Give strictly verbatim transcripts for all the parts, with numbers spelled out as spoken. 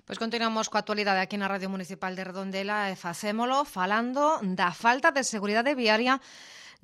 Pois continuamos coa actualidade aquí na Radio Municipal de Redondela e facémolo falando da falta de seguridade viaria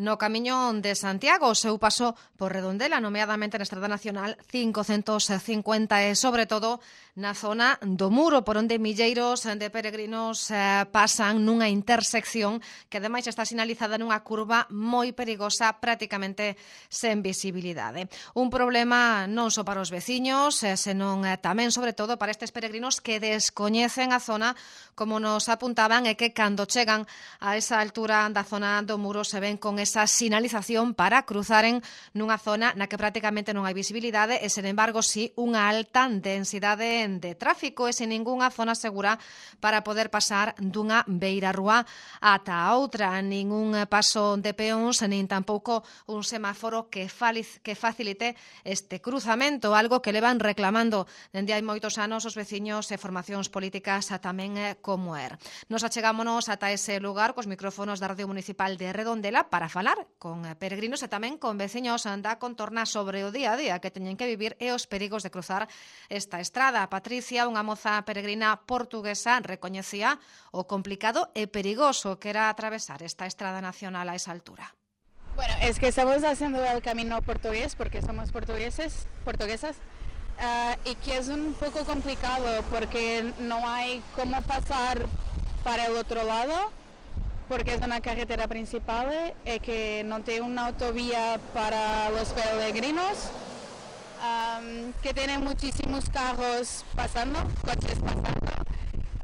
no camiño de Santiago, o seu paso por Redondela, nomeadamente na Estrada Nacional cincocentos cincuenta e, sobre todo, na zona do Muro, por onde milleiros de peregrinos eh, pasan nunha intersección que, ademais, está sinalizada nunha curva moi perigosa, prácticamente sen visibilidade. Un problema non só para os veciños, eh, senón eh, tamén, sobre todo, para estes peregrinos que descoñecen a zona, como nos apuntaban, e que, cando chegan a esa altura da zona do Muro, se ven con esa sinalización para cruzaren nunha zona na que prácticamente non hai visibilidade e, sen embargo, sí unha alta densidade de tráfico e sen ningunha zona segura para poder pasar dunha beira rúa ata a outra. Ningún paso de peóns, nin tampouco un semáforo que, faliz, que facilite este cruzamento, algo que levan reclamando dende hai moitos anos os veciños e formacións políticas tamén como er. Nos achegámonos ata ese lugar cos micrófonos da Radio Municipal de Redondela para falar con peregrinos e tamén con veciños da contorna sobre o día a día que teñen que vivir e os perigos de cruzar esta estrada. Patricia, unha moza peregrina portuguesa, recoñecía o complicado e perigoso que era atravesar esta estrada nacional a esa altura. Bueno, es que estamos haciendo el camino portugués porque somos portugueses, portuguesas, uh, y que es un poco complicado porque no hay cómo pasar para el otro lado, porque es una carretera principal y que no tiene una autovía para los peregrinos, um, que tiene muchísimos carros pasando, coches pasando,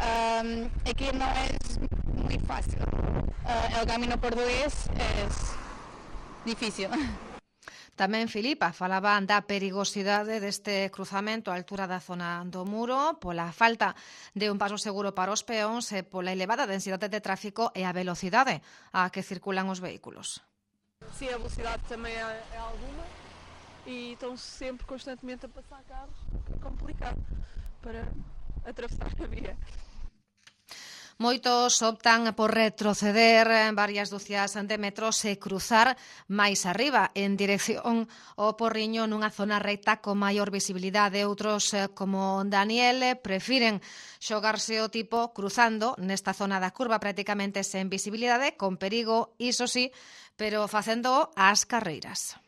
um, y que no es muy fácil. Uh, el camino portugués es difícil. Tamén Filipa falaba da perigosidade deste cruzamento á altura da zona do Muro, pola falta de un paso seguro para os peóns e pola elevada densidade de tráfico e a velocidade a que circulan os vehículos. Sim, a velocidade também é, é alguma e estão sempre constantemente a passar carros, é complicado para atravessar a via. Moitos optan por retroceder varias dúcias de metros e cruzar máis arriba en dirección ao Porriño nunha zona recta con maior visibilidade. Outros, como Daniel, prefiren xogarse o tipo cruzando nesta zona da curva prácticamente sen visibilidade, con perigo, iso sí, pero facendo as carreiras.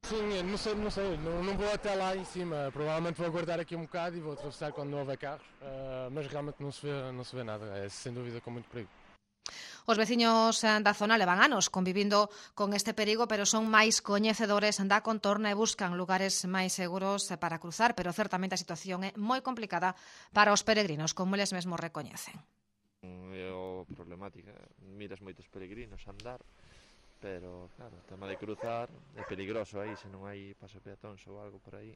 Sim, não sei, não sei, não, não vou até lá em cima, provavelmente vou aguardar aqui um bocado e vou atravessar quando não houver carros, uh, mas realmente não se vê, não se vê nada, é sem dúvida com muito perigo. Os veciños da zona levan anos convivindo con este perigo, pero son máis coñecedores da contorna e buscan lugares máis seguros para cruzar, pero certamente a situación é moi complicada para os peregrinos, como eles mesmos recoñecen. É o problemática, miras moitos peregrinos a andar, pero, claro, o tema de cruzar é peligroso aí, se non hai paso peatóns ou algo por aí.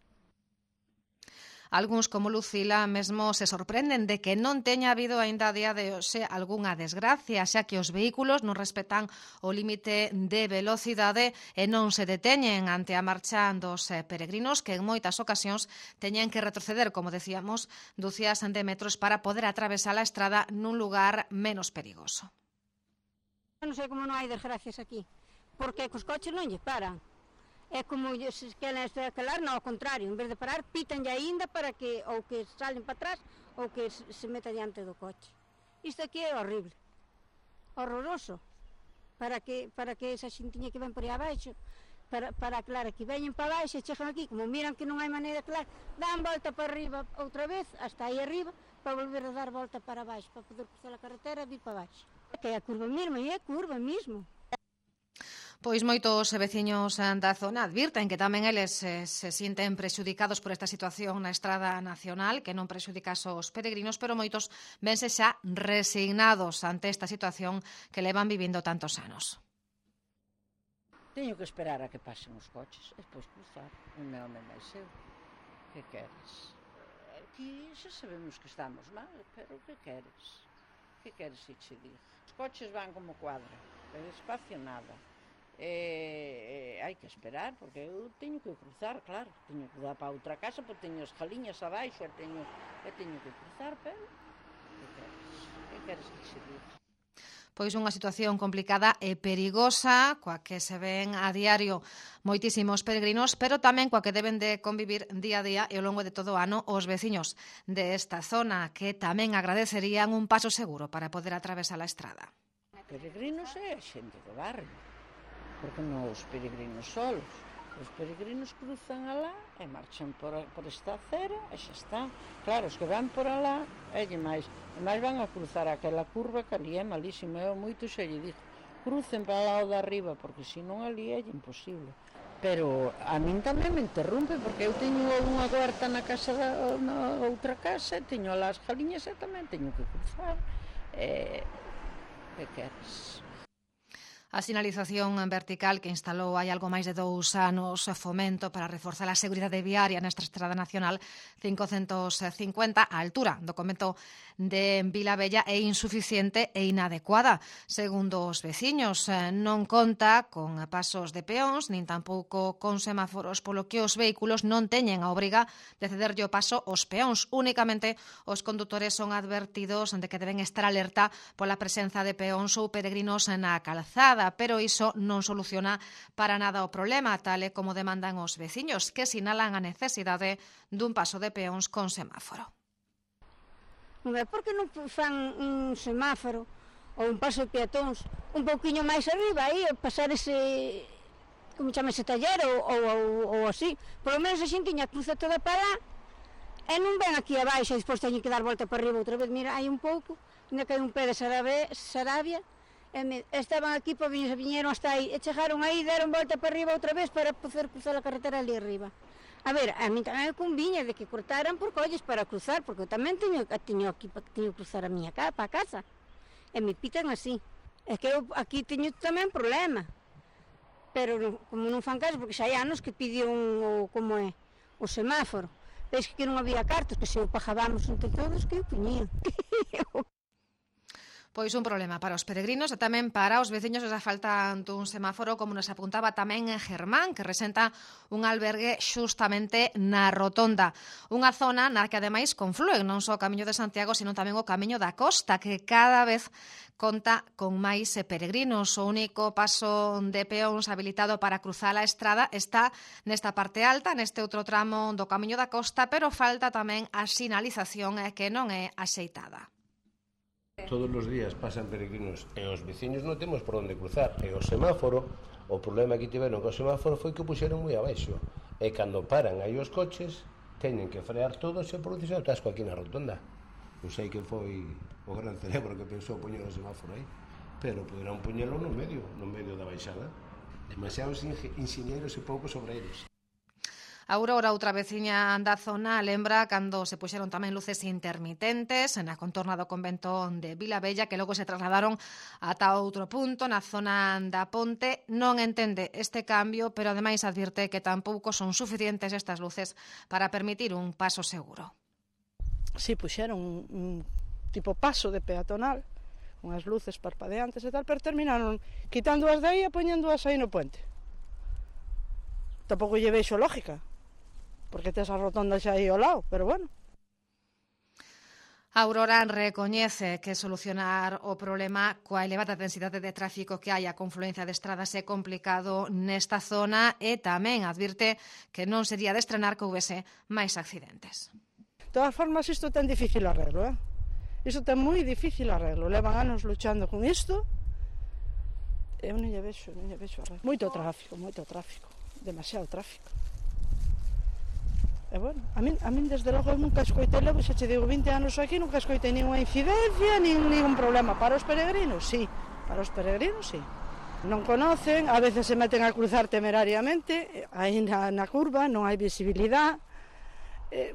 Algúns, como Lucila, mesmo se sorprenden de que non teña habido aínda a día de hoxe algunha desgracia, xa que os vehículos non respetan o límite de velocidade e non se deteñen ante a marcha dos peregrinos que en moitas ocasións teñen que retroceder, como decíamos, dúcias de metros para poder atravesar a estrada nun lugar menos perigoso. Non sei como non hai desgracias aquí, porque cos coches non lle paran. É como se queren escalar, non, ao contrario, en vez de parar, pitanlle aínda para que ou que salen para atrás ou que se meta diante do coche. Isto aquí é horrible, horroroso, para que para que esa xintiña que ven por aí abaixo, para, para aclarar, que veñen para abaixo e chegan aquí, como miran que non hai maneira de aclarar, dan volta para arriba outra vez, hasta aí arriba, para volver a dar volta para abaixo, para poder cruzar a carretera e vir para abaixo. Que é a curva mesmo, e é curva mesmo. Pois moitos veciños da zona advirten que tamén eles se, se sinten prexudicados por esta situación na Estrada Nacional, que non prexudica aos peregrinos, pero moitos vense xa resignados ante esta situación que levan vivindo tantos anos. Teño que esperar a que pasen os coches e depois cruzar. O meu home máis eu. Que queres? Aquí xa sabemos que estamos mal, pero que queres? Que queres que che diga? Os coches van como cuadra, pero espacio nada. E, e hai que esperar, porque eu teño que cruzar, claro, teño que dar para outra casa, porque teño as jaliñas abaixo e teño, e teño que cruzar, pero que queres? Que queres que che diga? Pois unha situación complicada e perigosa, coa que se ven a diario moitísimos peregrinos, pero tamén coa que deben de convivir día a día e ao longo de todo o ano os veciños desta zona, que tamén agradecerían un paso seguro para poder atravesar a estrada. Peregrinos é a xente do barrio, porque non os peregrinos solos. Os peregrinos cruzan alá e marchan por, por esta acera e xa está. Claro, os que van por alá, elle máis, e máis van a cruzar aquela curva que ali é malísima. Eu moito xa lle digo, crucen para lá o de arriba, porque senón ali é imposible. Pero a min tamén me interrompe, porque eu teño unha huerta na casa da na outra casa, e teño alá as galiñas e tamén teño que cruzar. E, que queres? A sinalización vertical que instalou hai algo máis de dous anos Fomento para reforzar a seguridade viaria nesta estrada nacional cincocentos cincuenta á altura do convento de Vilabella é insuficiente e inadecuada. Segundo os veciños, non conta con pasos de peóns nin tampouco con semáforos, polo que os vehículos non teñen a obriga de cederlle o paso aos peóns. Únicamente os condutores son advertidos de que deben estar alerta pola presenza de peóns ou peregrinos na calzada, pero iso non soluciona para nada o problema, tal e como demandan os veciños, que sinalan a necesidade dun paso de peóns con semáforo. Por que non fan un semáforo ou un paso de peatóns un pouquiño máis arriba, aí, pasar ese, como chama, ese taller ou, ou, ou, ou así? Por lo menos a xentiña cruza toda para lá e non ven aquí abaixo e despois teñen que dar volta para arriba outra vez. Mira, hai un pouco, ainda que hai un pé de Sarabia, e estaban aquí, pois viñeron hasta aí, e chegaron aí, deron volta para arriba outra vez para poder cruzar a carretera ali arriba. A ver, a mí tamén me conviña de que cortaran por colles para cruzar, porque eu tamén teño, teño aquí teño que cruzar a miña casa, para a casa, e me pitan así. É que eu aquí teño tamén problema, pero como non fan caso, porque xa hai anos que pidiu un, o, como é, o semáforo, veis que non había cartos, que se o pagábamos entre todos, que o poñían. Pois un problema para os peregrinos e tamén para os veciños esa falta dun semáforo, como nos apuntaba tamén Germán, que resenta un albergue xustamente na Rotonda. Unha zona na que ademais conflúen non só o Camiño de Santiago, sino tamén o Camiño da Costa, que cada vez conta con máis peregrinos. O único paso de peóns habilitado para cruzar a estrada está nesta parte alta, neste outro tramo do Camiño da Costa, pero falta tamén a sinalización que non é axeitada. Todos os días pasan peregrinos e os veciños non temos por onde cruzar. E o semáforo, o problema que tiveron co semáforo foi que o puxeron moi abaixo. E cando paran aí os coches, teñen que frear todos e produce o tasco aquí na Rotonda. Non sei que foi o gran cerebro que pensou poñer o semáforo aí, pero poderán poñelo no medio, no medio da baixada. Demasiados inxeñeiros e poucos obreiros. Aurora, outra veciña da zona, lembra cando se puxeron tamén luces intermitentes na contorna do convento de Vilabella, que logo se trasladaron ata outro punto na zona da Ponte. Non entende este cambio, pero ademais advirte que tampouco son suficientes estas luces para permitir un paso seguro. Si, puxeron un, un tipo paso de peatonal, unhas luces parpadeantes e tal, pero terminaron quitando as de aí e poñendoas aí no puente. Tampouco lle vexo lógica, porque tes a rotonda xa aí ao lado, pero bueno. Aurora recoñece que solucionar o problema coa elevada densidade de tráfico que hai a confluencia de estradas é complicado nesta zona e tamén advirte que non sería de estrenar que houvese máis accidentes. De todas formas, isto ten difícil arreglo, eh? Isto ten moi difícil arreglo. Levan anos luchando con isto e eu non lle vexo, non lle vexo arreglo. Moito tráfico, moito tráfico, demasiado tráfico. E bueno, a min, a min desde logo nunca escoitei, levo xa che digo vinte anos aquí, nunca escoitei ninguna incidencia, nin ningún problema. Para os peregrinos, sí, para os peregrinos, sí. Non conocen, a veces se meten a cruzar temerariamente, aí na, na curva non hai visibilidade. Eh,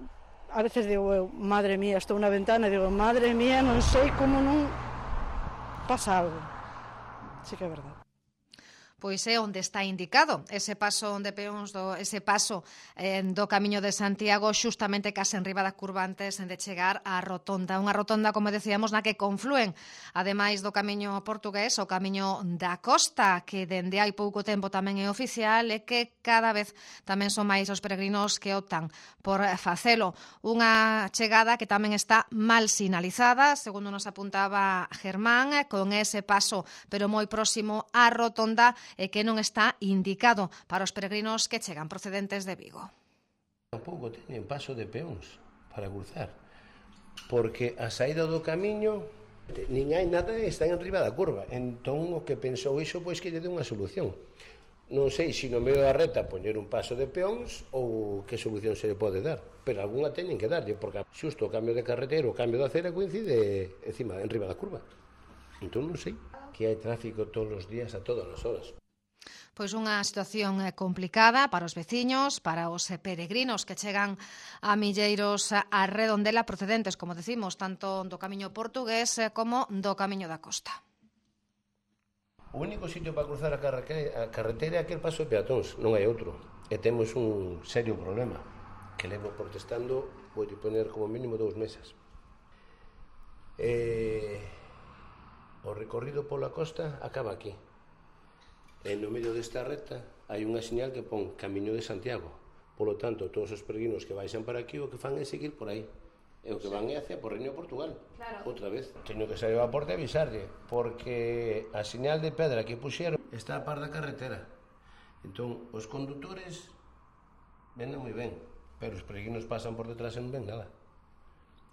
a veces digo eu, madre mía, estou na ventana e digo, madre mía, non sei como non pasa algo. Sí que é verdade. Pois é onde está indicado ese paso de peóns, do, ese paso eh, do Camiño de Santiago, xustamente case en riba da curva antes de chegar á rotonda. Unha rotonda, como decíamos, na que confluen, ademais do Camiño portugués, o Camiño da Costa, que dende hai pouco tempo tamén é oficial e que cada vez tamén son máis os peregrinos que optan por facelo. Unha chegada que tamén está mal sinalizada, segundo nos apuntaba Germán, con ese paso, pero moi próximo á rotonda, e que non está indicado para os peregrinos que chegan procedentes de Vigo. Tampouco teñen paso de peóns para cruzar, porque a saída do camiño nin hai nada e están en riba da curva. Entón, o que pensou iso, pois que lle deu unha solución. Non sei se no medio da reta poñer un paso de peóns ou que solución se lle pode dar, pero algunha teñen que darlle, porque xusto o cambio de carretera, o cambio da acera coincide encima, en riba da curva. Entón non sei, que hai tráfico todos os días a todas as horas. Pois unha situación complicada para os veciños, para os peregrinos que chegan a milleiros a Redondela procedentes, como decimos, tanto do Camiño portugués como do Camiño da Costa. O único sitio para cruzar a carretera é aquel paso de peatóns, non hai outro. E temos un serio problema, que levo protestando, vou poner como mínimo dous meses. E... o recorrido pola costa acaba aquí. E no medio desta reta hai unha señal que pon Camiño de Santiago. Polo tanto, todos os peregrinos que baixan para aquí o que fan é seguir por aí. E o que van é hacia Porriño, Portugal. Claro. Outra vez. Teño que sair a porta e avisarlle, porque a señal de pedra que puxeron está a par da carretera. Entón, os condutores venden moi ben, pero os peregrinos pasan por detrás e non ven nada.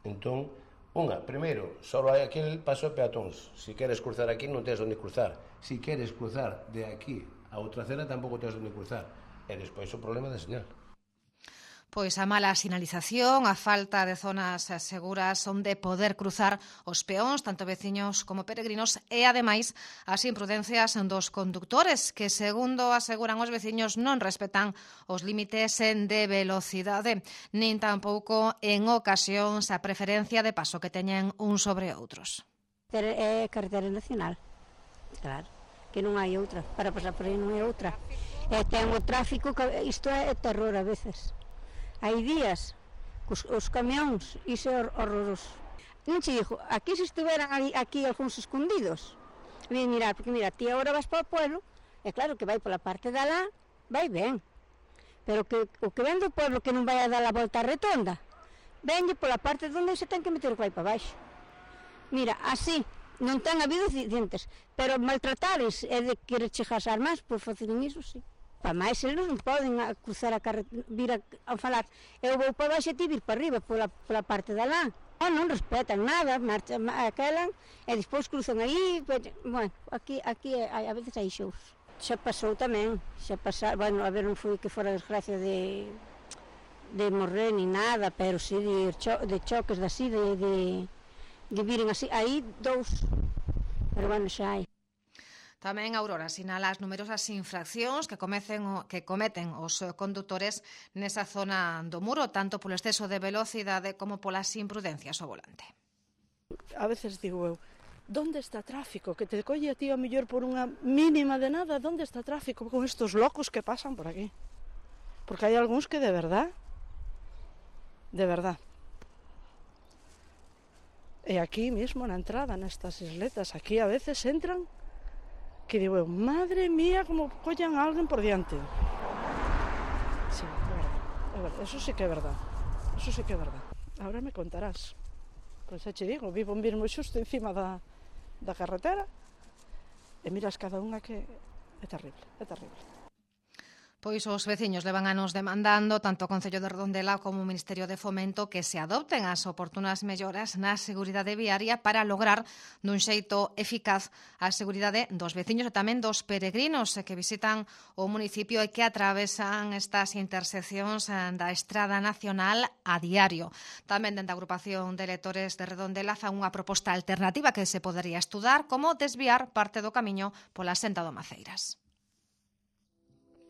Entón, unha, primeiro, só hai aquel paso de peatóns. Se queres cruzar aquí non tens onde cruzar. Se queres cruzar de aquí a outra acera tampouco tens onde cruzar. E despois o problema da señal. Pois a mala sinalización, a falta de zonas seguras onde poder cruzar os peóns, tanto veciños como peregrinos, e, ademais, as imprudencias dos conductores, que, segundo aseguran os veciños, non respetan os límites de velocidade, nin tampouco, en ocasións, a preferencia de paso que teñen uns sobre outros. É carretera nacional, claro, que non hai outra, para pasar por aí non hai outra. E ten o tráfico, isto é terror a veces. Hai días, os, os camións, iso é horroroso. Non che digo, aquí se estiveran ali, aquí algúns escondidos, ven mirar, porque mira, ti agora vas para o pueblo, é claro que vai pola parte de alá, vai ben, pero que, o que ven do pueblo que non vai a dar a volta retonda, venlle pola parte onde se ten que meter o que vai para baixo. Mira, así, non ten habido accidentes, pero maltratares é de querer chegar as armas, por facer iso, sí. Para máis, eles non poden cruzar a carretera, vir a, a falar, eu vou para baixo e ti vir para arriba, pola, pola parte de alá. Oh, non respetan nada, marchan aquelan, e despois cruzan aí, bueno, aquí, aquí a veces hai shows. Xa pasou tamén, xa pasou, bueno, a ver, non foi que fora desgracia de, de morrer ni nada, pero sí de, cho, de choques, de así, de, de, de viren así, aí dous, pero bueno, xa hai. Tamén Aurora sinala as numerosas infraccións que cometen, que cometen os condutores nesa zona do Muro, tanto polo exceso de velocidade como polas imprudencias ao volante. A veces digo eu, onde está tráfico? Que te colle a ti a mellor por unha mínima de nada, onde está tráfico con estos locos que pasan por aquí? Porque hai algúns que de verdad, de verdad. E aquí mesmo na entrada, nestas isletas, aquí a veces entran que digo eu, madre mía, como collan a alguén por diante. Sí, é verdade, é verdade, eso sí que é verdade, eso sí que é verdade. Ahora me contarás. Pois xa che digo, vivo mesmo xusto encima da, da carretera e miras cada unha que é terrible, é terrible. Pois os veciños levan anos demandando tanto o Concello de Redondela como o Ministerio de Fomento que se adopten as oportunas melloras na seguridade viaria para lograr dun xeito eficaz a seguridade dos veciños e tamén dos peregrinos que visitan o municipio e que atravesan estas interseccións da Estrada Nacional a diario. Tamén dende a agrupación de electores de Redondela fan unha proposta alternativa que se podería estudar como desviar parte do camiño pola senda do Maceiras.